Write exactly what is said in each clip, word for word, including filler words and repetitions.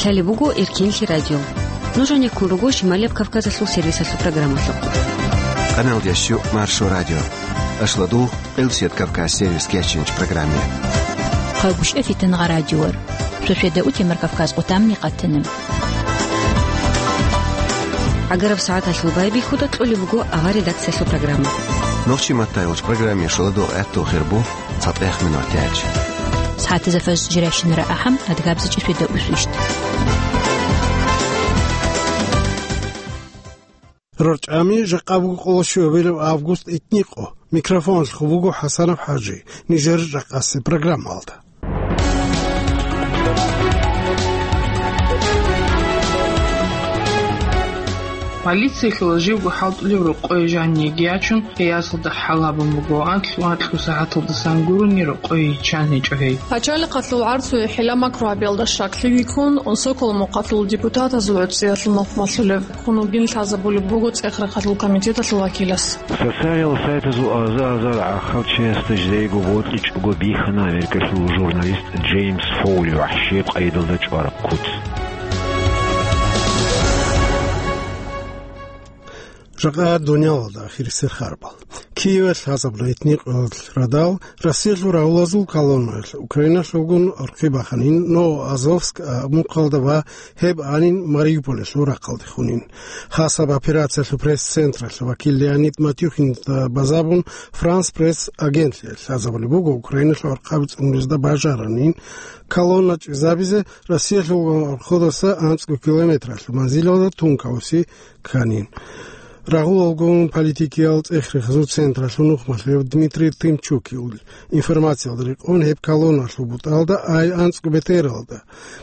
Лъалеб буго Эркенлъи радио. Нуж гьанеккун руго Шималияб Кавказалъул сервисалъул программалъухъ. Къаналдящу Маршо радио. Ашладу Къилсият Кавказ сервис кечинч программе. Хъагушев Фитангъа радиор. Сосведа утемар Кавказ къутамни къатана. ГӀагараб сагӀаталъул байбихьуда кьолеб буго авар редакциялъул программа. Нохчи маттайулч программе шуладу гӀатту хирбу цатӀех минутач. СагӀатазда фаз жиращинара ахӀам, адгабзичӀи сосведа усвищ. РорчӀами жакъа буго къоло щуабилеб август итникъо. Микрофоналъухъ буго ХӀасанов ХӀажи. Нижер жакъасе программалда. Полициялъул живго хӀалтӀулев рокъое жаниги ячун, гьей асалда хӀал гьабун буго, анкьу-анкьу сагӀаталдасан гурони рокъое йиччан гьечӀо гьей. Пачалихъалъул гӀарцуе хӀила-макру гьабиялда щаклъи вихьун, Сокол мухъалъул депутатазул гӀуцӀиялъул нухмалъулев. Хун вугин лъазабулеб буго ЦӀехрахъалъул комитеталъул вакилас. Социалиал сайтазул аза-азар гӀахьал чиясда жидейго бокьичӀого бихьана Америкалъул журналист Джеймс Фоули вахӀшияб къайдалда чӀвараб куц. Жакъа дуниялалда ахирисел харбал. Киевалъ лъазабуна итникъоялъ радал, Россиялъул рагъулазул колоннаялъ Украиналъулгун орхъи баханин, Новоазовск мухъалда ва гьеб анин Мариуполалъул рахъалде хунин. Хасаб операциялъул пресс-централъ вакил Леонид Матюхинда базабун, Франс Пресс агентлъиялъ лъазабулеб буго, Украиналъул архъаби цӀунулезда бажаранин, колонна чӀезабизе Россиялъул орходаса анцӀго километралъ манзилалда тункалуси кканин. Рагъулалгун политикиял цӀехрехазул централъул нухмалъулев Дмитрий Тымчукил информациялда рекъон, гьеб колонналъул бутӀалда ай анцӀго бетӀералда,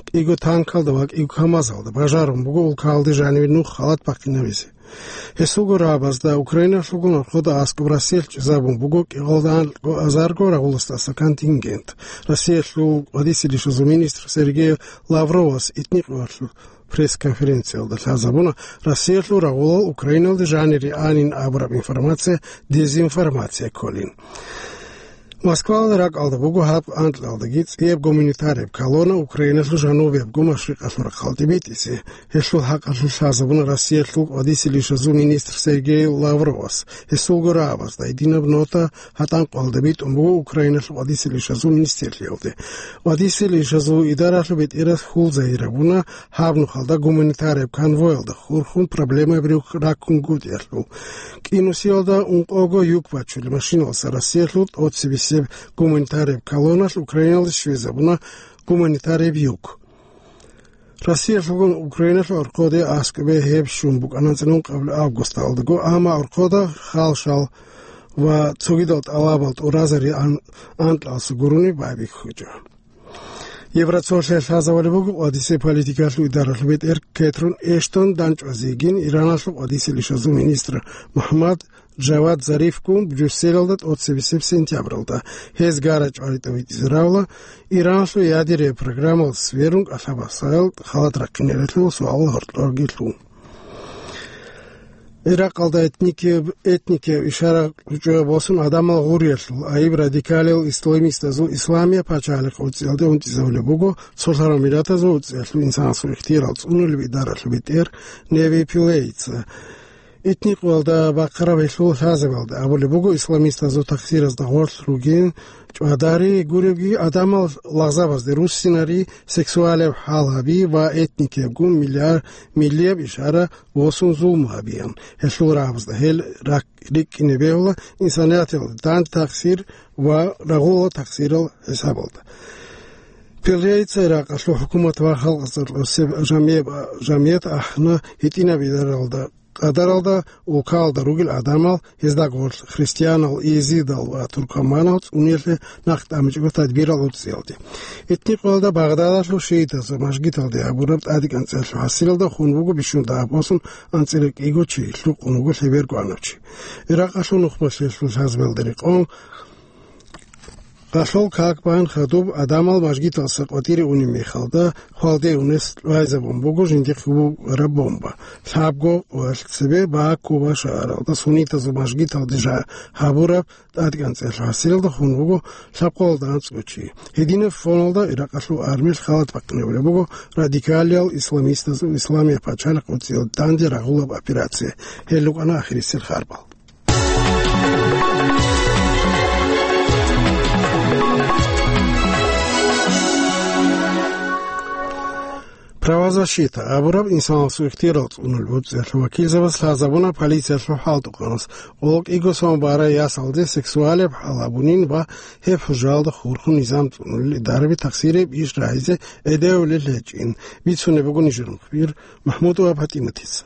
кӀиго танкалда ва кӀиго КамАЗалда бажарун буго улкалде жаниве нух халат бахъинабизе. Гьесулго рагӀабазда Украиналъулгун орхода аскӀоб Россиялъ чӀезабун буго кӀикъоялда анкьго азарго рагъуласдаса контингент. Россиялъул къвадисе лишазул министр Сергей Лавровас итникъоялъул пресс-конференциялда лъазабуна, Россиялъул рагъулал Украиналде жанире анин абураб информация дезинформация кколин. Москвалда ракӀалда буго гьаб анкьалдаги цӀияб гуманитарияб колонна Украиналъул жанубиябго машрикъалъул рахъалде битӀизе. Гьелъул хӀакъалъулъ лъазабуна Россиялъул къвадисе лишазул министр Сергей Лавровас. Гьесулго рагӀабазда гьединаб нота гьатӀанкъоялда битӀун буго Украиналъул къвадисе лишазул министрлъиялде. Къвадисе лишазул идаралъул бетӀерас хьул загьир гьабуна гьаб нухалда гуманитарияб конвоялда хурхун проблемаби рухь раккунгутӀиялъул. КӀинусиялда ункъого юк бачулеб машиналъа Россиялъул тӀоцебесеб гуманитарияб колонналъ Украиналде щвезабуна гуманитарияб юк. Россиялъулгун Украиналъул орходе аскӀобе гьеб щун букӀана анцӀила ункъабилеб августалдаго, амма орхода халшал ва цогидал тӀалабал тӀуразари ан-, анкьалса гурони байбихьичӀо. Евроцолъиялъ лъазабулеб буго къвадисе политикалъул идаралъул бетӀер Кетрун Эштон данчӀвазейин Ираналъул къвадисе лишазул министр МухӀаммад Джавад Зарифгун Брюсселалда тӀоцебесеб сентябралда. Гьез гара чӀваритӀа витӀизе равла, Иранлъул ядерия программал сверун кӀалъабасал халат рахъинарелъул суал гьоркьорги лъун. Иракъалда этникияб, этникияб ишара кьучӀуя босун гӀадамал гъуриялъул, айиб радикалиял исламистазул Исламия пачалихъ уцӀиялде унтӀизабулеб буго Цолъарав Миратазул уцӀиялъул инсанасул ихтиярал цӀунулеб идаралъул бетӀер Неви Пилейца. Этникъоялда бахъараб гьелъул лъазабалда абулеб буго, исламистазул такъсиразда гъорлъ ругин чӀвадари гуревги, гӀадамал лагъзабазде руссинари, сексуалияб хӀал гьаби ва этникиябгун миллиар-, миллияб ишара босун зулму гьабиян. Гьелъул рагӀабазда гьел рак-, рикӀкӀине бегьула инсанияталда данде такъсир ва рагъулал такъсирал хӀисабалда. Пелейца Иракъалъул хӀукумат ва халкъ цӀар-, цеб жамияб-, жамият ахӀна гьитӀинаб идаралда къадаралда улкалда ругел гӀадамал, гьезда гъорлъ христианал, иезидал ва туркоманал цӀуниялъе нахъ тӀамичӀого тадбирал уцӀиялде. Этникъоялда Багъдадалъул шиитазул мажгиталде гьабураб тӀадегӀанцӀиялъул хӀасилалда хун буго бищун дагьаб босун анцӀила кӀиго чи, лъукъун вуго лъеберго гьанав чи. Иракъалъул нухмалъиялъул лъазабалда рекъон, Рахьул как бан хадуб адамал мажгиталса къватӀире унеб мехалда, хвалде унес кьвайзабун буго жиндихъ гьабураб бомба. Лъабго ва цебе Баку ва шагьаралда суннитазул мажгиталде жа гьабураб тӀадкӀанцӀиялъул гьасилалда хун вуго лъабкъоялда анцӀго чи. Гьединаб фоналда Иракъалъул армиялъ халат бахъинабулеб буго радикалиял исламистазул Исламияб пачалихъ гъоркье данде рагъулаб операция. Гьел рукӀана ахирисел харбал. Правозащита абураб инсанасул ихтиярал цӀунулел гӀурцӀиялъул вакилзабаз лъазабуна полициялъул хӀалтӀухъанас, къоло кӀиго сон барай ясалде сексуалияб хӀал гьабунин ва гьеб хӀужаялда хурхун низам цӀунулел идараби тахсирияб иш рагьизе гӀедевулел гьечӀин, бицунеб буго нижер мухбир МахӀмудова ПатӀиматица.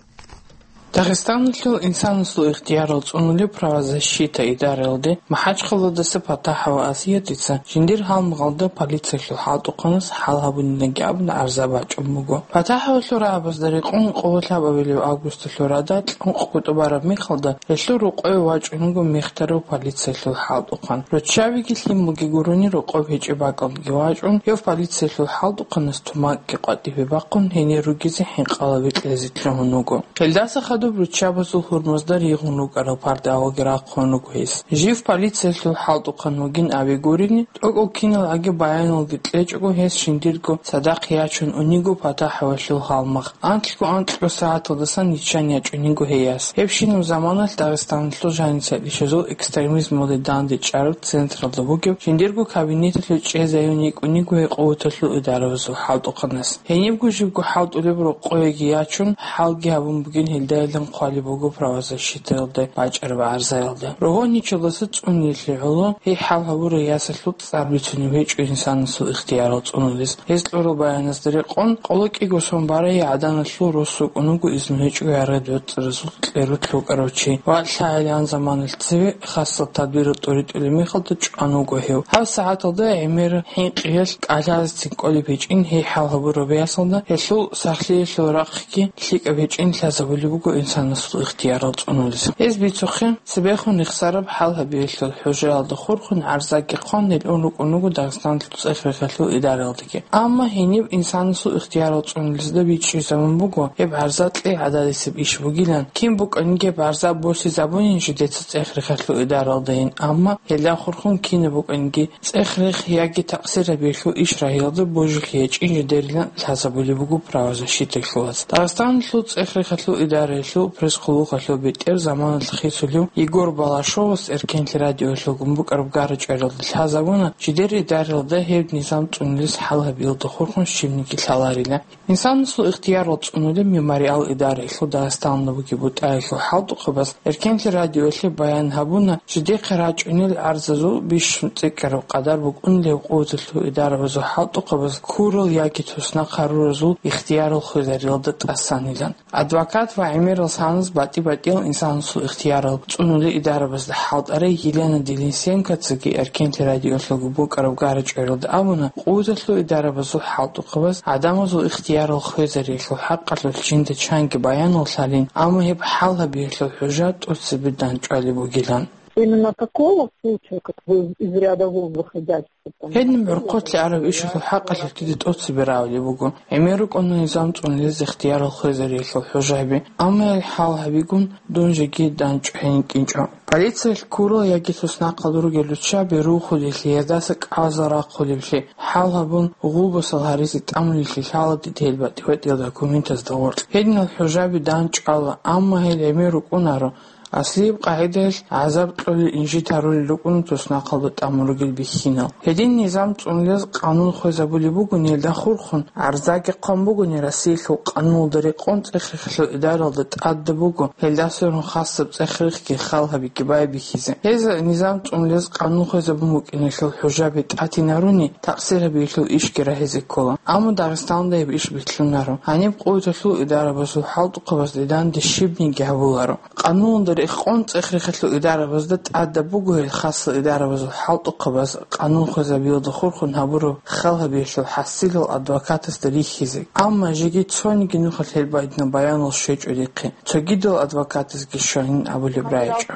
Дагъистаналъул инсанасул ихтиярал цӀунулеб правозащита идараялде МахӀачхъаладаса ПатахӀова Асиятица жиндир гьалмагъалда полициялъул хӀалтӀухъанас хӀал гьабунинаги абун гӀарза бачӀун буго. ПатахӀовалъул рагӀабазда рекъон къоло лъабабилеб августалъул радал кьункъ кӀутӀу бараб мехалда гьелъул рокъове вачӀун вуго мехтарав полициялъул хӀалтӀухъан. Руччабиги лъималги гурони рокъоб гьечӀеб бакӀалдеги вачӀун, гьев полициялъул хӀалтӀухъанас тумакги къватӀибе бахъун гьенир ругезе хӀинкъалаби кьезе лъугьун вуго. Гьелдаса хадуб руччабазул гьурмазда ригъун рукӀарал пардавалги рахъун руго гьес. Жив полициялъул хӀалтӀухъан вугин абе гурелъул, тӀокӀал киналгӀаги баяналги кьечӀого гьес жиндирго цадахъ ячун униго ПатахӀовалъул гьалмагъ. Анкьго анкьго сагӀаталдасан ниччан ячӀуниго гьей яс. Гьебщинаб заманалъ Дагъистаналъул жанисатлъичӀезул экстремизмалде дандечӀараб централда бугеб жиндирго кабинеталъув чӀезаюн йикӀуниго гьей къуваталъул идарабазул хӀалтӀухъанас. Гьенибго жибго хӀалтӀулеб рокъовеги ячун, хӀалги гьабун бугин гьелдайилан хъвалеб буго правозащитаялда бачӀараб гӀарзаялда. Рогьоничалдаса цӀунулелъе гӀоло гьей хӀал гьабурай ясалъул цӀар бицунеб гьечӀо инсанасул ихтиярал цӀунулес. Гьез кьурал баяназда рекъон, къоло кӀиго сон барай гӀаданалъул рос вукӀун вуго изну гьечӀого яргъи доцӀцӀаразул кьерулъ вукӀарав чи ва лъагӀел гьан заманалъ цеве хасал тадбирал тӀуритӀулеб мехалда чӀван вуго гьев. Гьаб сагӀаталда гӀемер хӀинкъиялъ кӀалъазецин кӀолеб гьечӀин гьей хӀал гьабураб ясалда гьелъул сахлъиялъул рахъги лъикӀаб гьечӀин лъазабулеб буго инсанасул ихтиярал цӀунулес. Гьез бицухъе, цебехун рехсараб хӀал гьабиялъул хӀужаялда хурхун гӀарзаги хъван гьел ун рукӀун вуго Дагъистаналъул цӀех-рехалъул идараялдаги. Амма гьениб инсанасул ихтиярал цӀунулезда бичӀчӀизабун буго, гьеб гӀарза кьей гӀададисеб иш бугилан, кин букӀаниги гьеб гӀарза босизабунин жидеца цӀех-рехалъул идараялдайин, амма гьелда хурхун кинаб букӀаниги цӀех-рех яги такъсир гьабиялъул иш рагьиялда божилъи гьечӀин жидерилан лъазабулеб буго правозащиталъулаз. Дагъистаналъул цӀех-рехалъул идараялъул пресс-хъулухъалъул бетӀер заманалъ хисулев Егор Балашовас Эркенлъи радиоялъулгун букӀараб гара-чӀваралда лъазабуна, жидер идараялда гьеб низам цӀунулес хӀал гьабиялда хурхун щибниги лъаларила. Инсанасул ихтиярал цӀунулеб Мемориал идараялъул Дагъистаналда бугеб бутӀаялъул хӀалтӀухъабаз Эркенлъи радиоялъе баян гьабуна, жидехъе рачӀунел гӀарзазул бищун цӀикӀкӀараб къадар букӀунилев къуваталъул идарабазул хӀалтӀухъабаз ккурал яги туснахъ гьаруразул ихтиярал хвезариялда тӀасанилан. Адвокат ва гӀемерал саназ батӀи-батӀиял инсанасул ихтиярал цӀунулел идарабазда хӀалтӀарай Елена Денисенкоцаги Эркенлъи радиоялъулгун букӀараб гара-чӀваралда абуна, къуваталъул идарабазул хӀалтӀухъабаз гӀадамазул ихтиярал хвезариялъул хӀакъалъулъ жинда чанги баянал лъалин, амма гьеб хӀал гьабиялъул хӀужа тӀоцебе дандчӀвалеб бугилан. Именно такого случая, как вы из ряда вон выходящего там. Гьедин гӀурхъулъе араб ишалъул хӀакъалъулъ дида тӀоцебе равулеб буго. ГӀемер рукӀуна низам цӀунулез ихтиярал хвезариялъул хӀужаби, амма гьел хӀал гьабигун дун жеги дандчӀвай гьенкӀинчӀо. Полициялъ ккурал яги туснахъал ругел руччаби рухулелъи, гьездаса кӀалзал рахъулеблъи, хӀал гьабун гъулбасал гьаризе тӀамулеблъи лъала дида гьел батӀи-батӀиял документазда гъоркь. Гьединал хӀужаби дандчӀвала, амма гьел гӀемер рукӀунаро, аслияб къагӀидаялъ гӀазаб кьолел инжит гьарулел рукӀуна туснахъалда тӀамун ругел бихьинал. Гьедин низам цӀунулез къанун хвезабулеб бугони, гьелда хурхун гӀарзаги хъван бугони, Россиялъул къануналда рекъон цӀех-рехалъул идаралда тӀадаб буго, гьелда сверун хасаб цӀех-рехги хал гьабиги байбихьизе. Гьез низам цӀунулез къанун хвезабун букӀиналъул хӀужаби тӀатинаруни, такъсир гьабиялъул ишги рагьизе ккола. Амма Дагъистаналда гьеб иш бихьунаро. Гьаниб къуваталъул идарабазул хӀалтӀухъабазда данде щибниги гьабуларо. Къануналда Рекъон цӀех-рехалъул идарабазда тӀадаб буго гьел хасал идарабазул хӀалтӀухъабаз къанун хвезабиялда хурхун гьабураб хал гьабиялъул хӀасилал адвокатасда рихьизе. Амма жеги цониги нухалъ гьел байдина баянал щвечӀо рихъе. Цогидал адвокатазги щванин абулеб рагӀичӀо.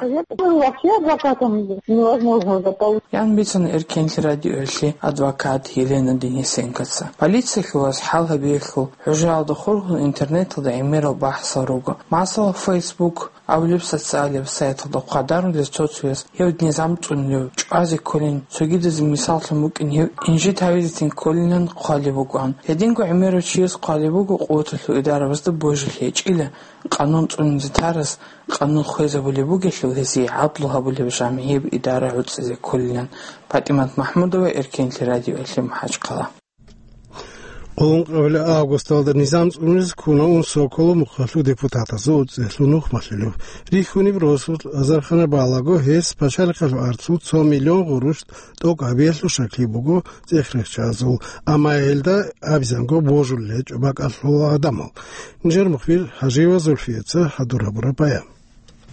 Вообще адвокатам невозможно заполучить. Ян бицана Эркенлъи радиоялъе адвокат Елена Денисенкоца. Полициялъулаз хӀал гьабиялъул хӀужаялда хурхун интернеталда гӀемерал бахӀсал руго. Масала, Facebook абулеб социалияб сайталда хъвадарулез цо-цояс гьев низам цӀунулев чӀвазе кколин, цогидазе мисаллъун букӀин гьев инжит гьавизецин кколилан хъвалеб букӀан. Гьединго гӀемерав чияс хъвалеб буго къуваталъул идарабазда божи гьечӀила, къанун цӀунизе тарас къанун хвезабулеб бугелъул гьесие гӀадлу гьабулеб жамигьеб идара гӀуцӀизе кколилан. ПатӀимат МахӀмудова, Эркенлъи радиоялъе, МахӀачхъала. Къулун къабилеб августалда низам цӀунизе ккуна ун Соколов мухъалъул депутатазул цӀехлъун нухмалъулев. Рихьуниб росулъ азархана балаго, гьес пачалихъалъул арцул цо миллион гъурущ тӀокӀ гьабиялъул щаклъи буго цӀехрехчазул, амма гьелда абизанго божулел гьечӀо бакӀалъул гӀадамал. Нижер мухбир Хажиева Зульфияца хӀадур гьабураб баян.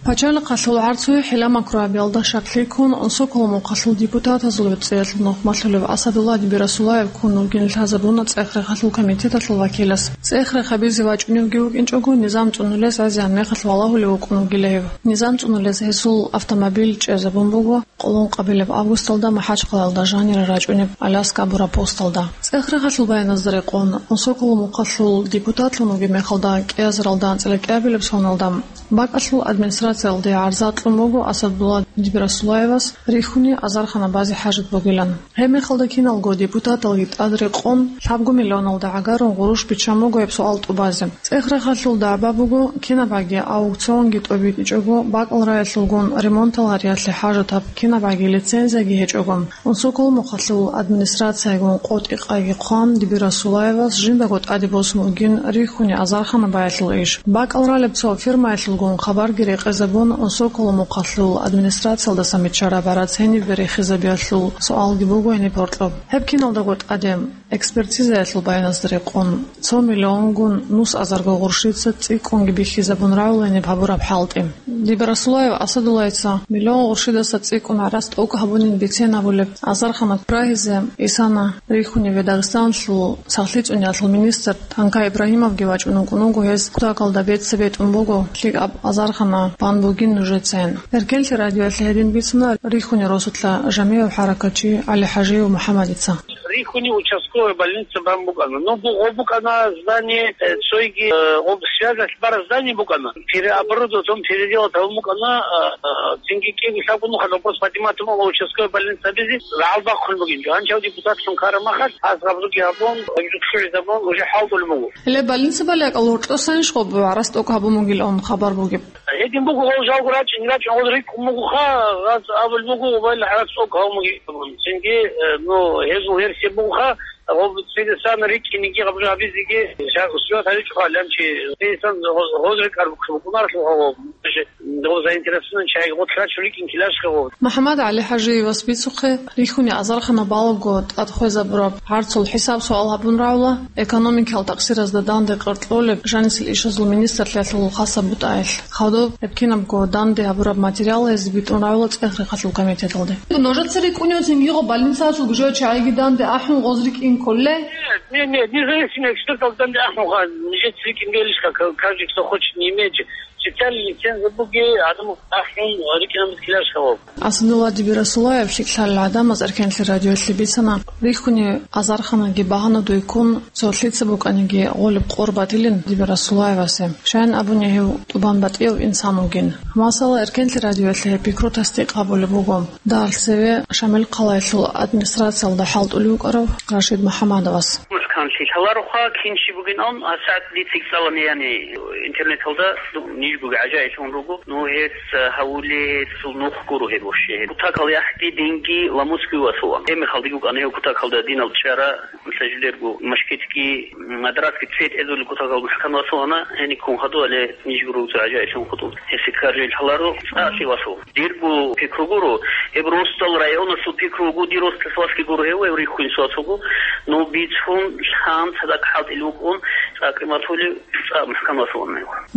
Пачалихъалъул гӀарцуе хӀила-макру гьабиялда щаклъи ккун, Соколов мухъалъул депутатазул цӀехлъун нухмалъулев Асадулла Дибирасулаев ккун вугин лъазабуна цӀех-рехалъул комитеталъул вакилас. ЦӀех-рех гьабизе вачӀуневги вукӀинчӀого, низам цӀунулес гӀезегӀан мехалъ валагьулев вукӀун вугила гьев. Низам цӀунулес гьесул автомобиль чӀезабун буго къулун къабилеб августалда МахӀачхъалаялда жанира рачӀунеб Аляска абураб посталда. ЦӀех-рехалъул баяназда рекъон, Соколов мухъалъул депутатлъун вугеб мехалда кӀиазаралда анцӀила кӀиабилеб соналда, бакӀалъул администрациялде гӀарза кьун буго Асадулла Дибирасулаевас рихьуни азархана базе хӀажат бугилан. Гьеб мехалда киналго депутаталги тӀад рекъон, лъабго миллионалда гӀагарун гъурущ биччан буго гьеб суал тӀубазе. ЦӀех-рехалъул дагӀба буго, кинабаги аукционги тӀобитӀичӀого, бакӀал раялъулгун ремонтал гьариялъе хӀажатаб кинабаги лицензияги гьечӀого. Соколов мухъалъул администрациягун къотӀи-къайги хъван, Дибирасулаевас жиндаго тӀаде босун бугин рихьуни азархана баялъул иш. БакӀал ралеб цо фирмаялъулгун хабарги рекъезабун, Соколов мухъалъул администрациялдаса мичара барац гьениб берихизабиялъул суалги буго гьениб гьоркьоб. Гьеб киналдаго тӀаде, экспертизаялъул баяназда рекъон, цо миллионгун нус азарго гъурщица цӀикӀкӀунги бихьизабун равланиб гьабураб хӀалтӀи. Дибирасулаев Асадуллайца миллион гъурщидаса цӀикӀкӀун гӀарац тӀокӀ гьабунин бицен абулеб азархана рагьизе исана рихьуниве Дагъистаналъул сахлъи цӀуниялъул министр Танка Ибрагьимовги вачӀун вукӀун вуго гьес кутакалда беццаб бетӀун буго лъикӀаб азархана бан бугин нужецайин. Эркенлъи радиоялъе гьедин бицуна рихьуни росулъа жамигӀав хӀаракатчи ГӀали ХӀажиев МухӀаммадица. Рихьуни участковая больница бан букӀана. Ну, бу-, гъо букӀана здание, э, цойги, э, гъо связалъ бараб здание букӀана. Переоборудовать, переделать гьабун букӀана, э, э, цинги кӀиго лъабго нухалъ вопрос поднимать гьабун участковая больница абизе, гьал бахъун бугин. Гьанчав депутатлъун ккараб махалъ, гьас гъабзуги гьабун, гъабзуг шугӀи гьабун, уже хӀалтӀулеб буго. Гьеле больница балагьун гьоркьосанищ гъоб гӀарац тӀокӀ гьабун бугилан хабар бугеб? Гьедин буго, гъол жалго рачӀин, рачӀин, гъол рикӀкӀун бугоха, гъаз абулеб буго, гъобал гӀарац тӀокӀ гьабун бугеб. Цинги, э, ну, гьезул версия бугоха, гъоб цидасан рикӀкӀинеги гъаб жо гьабизеги, ша-, суят гьаричӀоха лъанчи, цидасан гъоз, гъоз рекӀараб букӀунаралъуха гъоб, гъоб заинтересованный чагӀи гъотлъачун рикӀкӀин килашха гъоб. МухӀаммад ГӀали ХӀажиевас бицухъе, рихьуни азархана балуго тӀад хвезабураб гӀарцул хӀисаб-суал гьабун равла, экономикал такъсиразда данде къаркьолеб жанисел ишазул министрлъиялъул хасаб бутӀаялъ. Хадуб гьеб кинабго данде гьабураб материал гьезде битӀун равла цӀех-рехалъул комитеталде. Нужеца рикӀкӀунев цинги гъо больницаялъул гужо чагӀиги данде ахӀун гъоз рикӀкӀин кколей? Нет, нет, нет, независимый экспертал данде ахӀун ха, нижеца рикӀкӀин белишха, ка-, каждый, кто хочет, не имеет же. Специальный лицензия буги, адам ахӀун рикӀкӀинаб килашха гъоб. Асадулла Дибирасулаев лъикӀлъарал гӀадамаз Эркенлъи радиоялъе бицана, рихьуни азарханаги багьанадуй ккун, цо лъица букӀаниги гъолеб къор батилин Дибирасулаевасе. Щайин абуни гьев тӀубан батӀияв инсан вугин. Масала, Эркенлъи радиоялъе гьеб пикру тасдикъ гьабулеб буго Дагъал цеве Шамил хъалаялъул администрациялда хӀалтӀулев вукӀарав Рашид МухӀаммадовас. МухӀканлъи лъалароха, кин чи бугин ан, гьасат дица цӀалани, яни интернеталда ниж буги гӀажаиблъун руго. Ну, гьес, э, гьавули, гьесул нух гуро гьеб вообще. Гьеб кутакал яхӀги динги ламусги васулан. Гьеб мехалдиги вукӀана гьев кутакалда динал чара, мисал, жилерго машкитги, м, мадрасги цвет эзули кутакал мухӀкан васулана, гьениккун хадуали ниж гуро цо гӀажаиблъун хутӀун. Гьесие ккаржил лъаларо, цӀакъли васул. Дирго пикру гуро, гьеб росдал районалъул пикру вуго, дир росдалъ васги гуро гьев, гьев рихьун суасуго, ну, бицун, Гьанже цадахъ хӀалтӀи букӀун, цӀакъ къиматулев, цӀакъ мухӀкамалъун.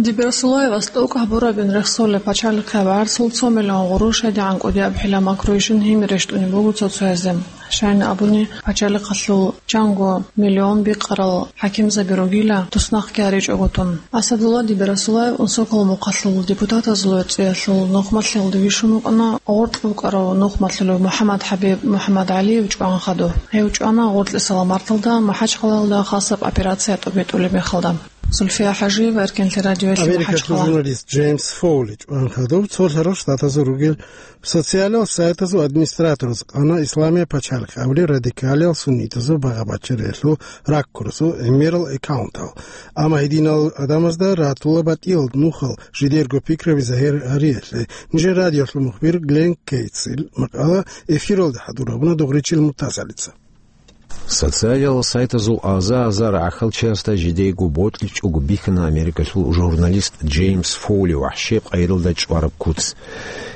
Дибирасуллаевас тӀокӀ гьабурабин рехсолеб пачалихъе гӀарцул цо миллион гъурущ гьедигӀан кӀудияб хӀила макруйщин гьимер рещтӀунеб буго цо-цоязе. Щайин абуни, пачалихъалъул чанго миллион бикъарал хӀакимзаби ругила, туснахъги гьаричӀого тун. Асадулла Дибирасуллаев Унсокал мухъалъул депутатазул цӀиялъул нухмалъилда вищун вукӀана гъоркь вукӀарав нухмалъулев МухӀаммад ХӀабиб МухӀаммадгӀалиев чӀван хадуб. Гьев чӀвана гъоркьисала марталда МахӀачхъалаялда хасаб операция тӀобитӀулеб мехалда. Зульфия ХӀажиева, Эркенлъи радиоялъ, Америкалъул МахӀачхъала. Журналист Джеймс Фоули чӀван хадуб цо лъарал штатазул ругел социалал сайтазул администратораз къана Исламия пачалихъ абулел радикалиял суннитазул багъа-бачариялъул раккурасул гӀемерал аккаунтал. Амма гьединал гӀадамазда ратула батӀиял нухал жидерго пикраби загьир гьариялъе. Нижер радиоялъул мухбир Глен Кейтсил макъала эфиралда хӀадур гьабуна Дугъричил Муртазалица. Социалиялъул сайтазул аза-азар гӀахьалчиясда жидейго бокьичӀого бихьана Америкалъул журналист Джеймс Фоули вахӀши къайралда чӀвараб куц.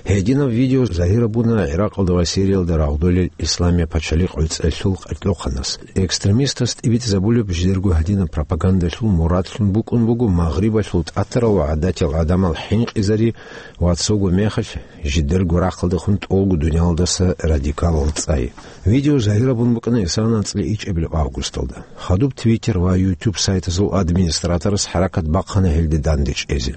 Гьединаб видео загьир гьабуна ГӀиракъалда ва Сириялда рагъдолел Исламия пачалихъ гӀуцӀелъул къеркьохъанас. Экстремистас тӀибитӀизабулеб жидерго гьадинаб пропагандалъул мурадлъун букӀун буго Магърибалъул тӀатарал ва гӀадатиял гӀадамал хӀинкъизари ва цого мехалъ жидерго рахъалдехун тӀолго дуниялалдаса радикалал цӀай. Видео загьир гьабун букӀана исана анцӀила ичӀабилеб августалда. Хадуб Twitter ва YouTube сайтазул администраторас хӀаракат бахъана гьелде дандечӀезе.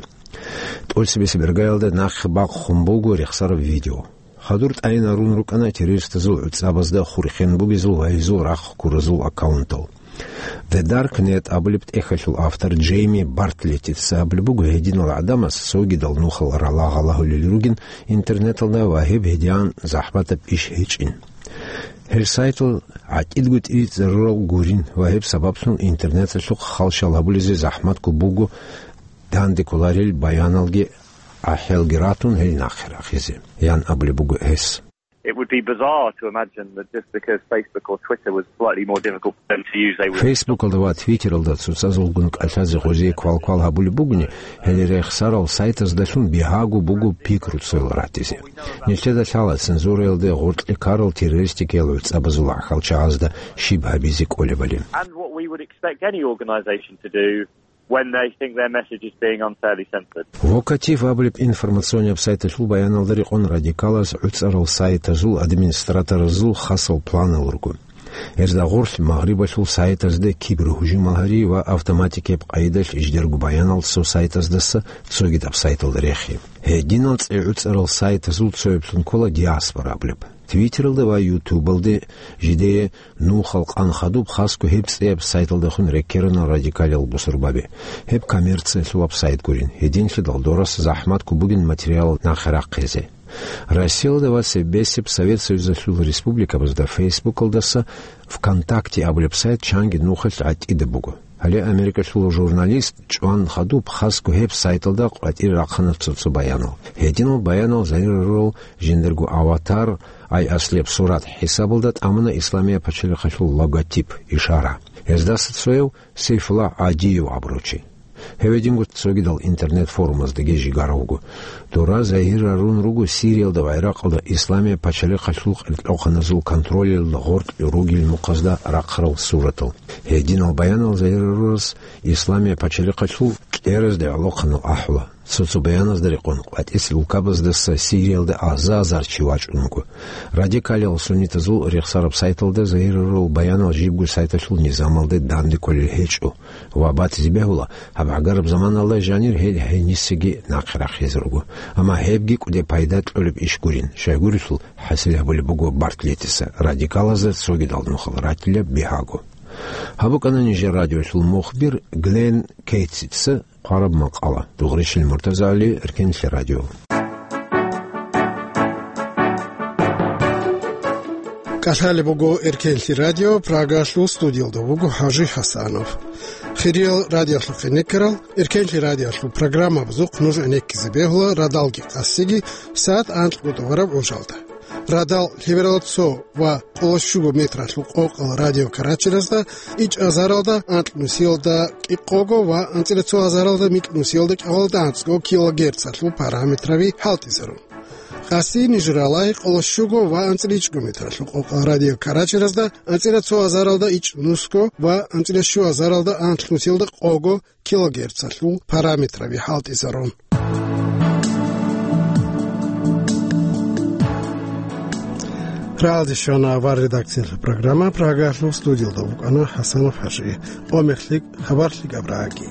ТӀоцебесеб иргаялда нахъе бахъун буго рехсараб видео. Хадур тӀайин гьарун рукӀана террористазул гӀуцӀабазда хурхен бугезул ва гьезул рахъ ккуразул аккаунтал. The Dark Net абулеб тӀехьалъул автор Джейми Бартлеттица абулеб буго, гьединал гӀадамаз цогидал нухал ралагъ-лагъулел ругин интернеталда ва гьеб гьедигӀан захӀматаб иш гьечӀин. Гьел сайтал гӀатӀидго тӀибитӀизарурал гурин ва гьеб сабаблъун интернеталъухъ халщал гьабулезе захӀматго буго, данде кколарел баяналги гӀахӀалги ратун гьел нахъе рахизе, ян абулеб буго гьес. It would be bizarre to imagine that just because Facebook or Twitter was slightly more difficult for them to use, they would... Фейсбукалда ва Твиттералда цоцазулгун кӀалъазе гъозие квал-квал гьабулеб бугони, гьел рехсарал сайтаздалъун бигьаго буго пикру цоял ратизе. Нилъеда лъала цензураялде гъоркье ккарал террористикиял гӀуцӀабазул гӀахьалчагӀазда щиб гьабизе кӀолебали. And what we would expect any organisation to do when they think their message is being unfairly censored. Вокатив абулеб информационияб сайталъул баяналда рекъон радикалаз гӀуцӀарал сайтазул администраторазул хасал планал руго. Гьезда гъорлъ Магърибалъул сайтазда кибергьужумал гьари ва автоматикияб къайдалъ жидерго баянал цо сайтаздаса цогидаб сайталда рехи. Гьединал цӀе гӀуцӀарал сайтазул цояблъун ккола диаспора абулеб. Твиттералда ва Ютубалде жидее нухал къан хадуб хасго гьеб цӀияб сайталдехун реккерана радикалиял бусурбаби. Гьеб коммерциялъулаб сайт гурин, гьединлъидал дорас захӀматго бугин материал нахъе рахъизе. Россиялда ва цебесеб Совет Союзалъул республикабазда Фейсбукалдаса ВКонтакте абулеб сайт чанги нухалъ гӀатӀида буго. Гьале Америкалъул журналист чӀван хадуб хасго гьеб сайталда къватӀире рахъана цо-цо баянал. Гьединал баянал загьир гьарурал жиндирго аватар, ай аслияб сурат хӀисабалда тӀамуна Исламия пачалихъалъул логотип, ишара. Гьездаса цояв Сейфуллагь ГӀадиев абурав чи. Гьев гьединго цогидал интернет-форумаздаги жигар вуго. Дора загьир гьарун руго Сириялда ва ГӀиракъалда Исламия пачалихъалъул къеркьохъаназул контролалда гъоркь ругел мухъазда рахъарал суратал. Гьединал баянал загьир гьарурас Исламия пачалихъалъул кьеразде гӀолохъанал ахӀула. Цо-цо баяназда рекъон, къватӀис улкабаздаса Сириялда аза-азар чи вачӀун вуго. Радикалиял суннитазул рехсараб сайталда загьир гьарурал баянал жибго сайталъул низамалде данде кколел гьечӀо ва батизе бегьула, гьаб гӀагараб заманалда жанир гьел гьенисеги нахъе рахизе руго. Амма гьебги кӀуде пайда кьолеб иш гурин, щайгурелъул хӀасил гьабулеб буго Бартлеттица, радикалазда цогидал нухал ратила бигьаго. Гьаб букӀана нижер радиолъул мухбир Глен Кейтсица хъвараб макъала. Дугъричил Муртазали, Эркенлъи радио. КӀалъалеб буго Эркенлъи радио, Прагалъул студиялда вуго ХӀажи ХӀасанов. Хириял радиолъухъе некерал, Эркенлъи радиолъул программабазухъ нуж гӀенеккизе бегьула радалги къасиги сагӀат анкьго тӀубараб гӀужалда. Радал лъеберал цо ва къоло щуго метралъул къокъал радио Карачиразда ичӀазаралда анкьнусиялда кӀикъого ва анцӀила цо азаралда микьнусиялда кӀикъоялда анцӀго килогерцалъул параметраби хӀалтӀизарун. Къаси ниж ралай къоло щуго ва анцӀила ичӀго метралъул къокъа радио Карачерезда анцӀила цо азаралда ичӀнусго ва анцӀила щу азаралда анлънусиялда къого килогерцалъул параметраби хӀалтӀизарун. Рагьалде щвана авар редакциялъул программа, Прагалъул студиялда вукӀана ХӀасанов ХӀажи. Къо мехлъи хабар лъикӀаб рагӀаги.